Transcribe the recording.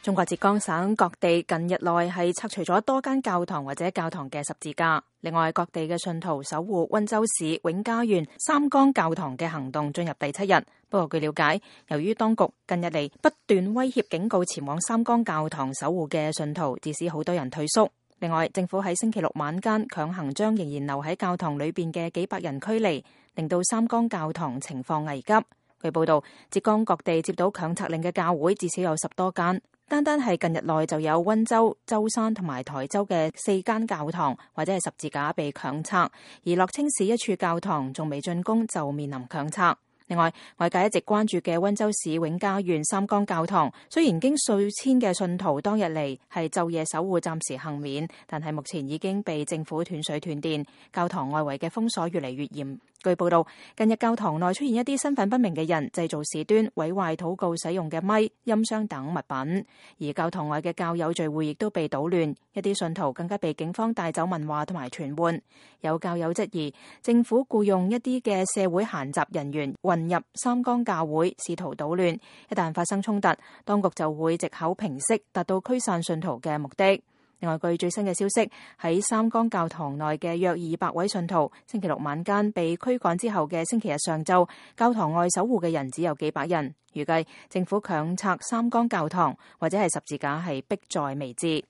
中國浙江省各地近日內係拆除咗多間教堂或者教堂嘅十字架。另外，各地嘅信徒守護溫州市永嘉縣三江教堂嘅行動進入第7日。不過據了解，由於當局近日嚟不斷威脅警告前往三江教堂守護嘅信徒，致使好多人退縮。另外，政府喺星期六晚間強行將仍然留喺教堂裏邊嘅幾百人驅離，令到三江教堂情況危急。據報道，浙江各地接到強拆令嘅教會至少有10多間。單係近日內就有溫州、舟山同埋台州嘅4間教堂或者係十字架被強拆，而樂清市一處教堂仲未竣工就面臨強拆。另外，外界一直關注嘅溫州市永嘉縣三江教堂，雖然經數千嘅信徒當日嚟係晝夜守護暫時幸免，但係目前已經被政府斷水斷電，教堂外圍嘅封鎖越嚟越嚴。據報道，近日教堂內出現一啲身份不明嘅人製造事端，毀壞禱告使用嘅咪、音箱等物品，而教堂外嘅教友聚會亦都被搗亂，一啲信徒更加被警方帶走問話同埋傳喚。有教友質疑政府僱用一啲嘅社會閒雜人員混入三江教會，試圖搗亂，一旦發生衝突，當局就會藉口平息，達到驅散信徒嘅目的。另外，據最新嘅消息，喺三江教堂內嘅約200位信徒，星期六晚間被驅趕之後嘅星期日上晝，教堂外守護嘅人只有幾百人。預計政府強拆三江教堂或者係十字架係迫在眉睫。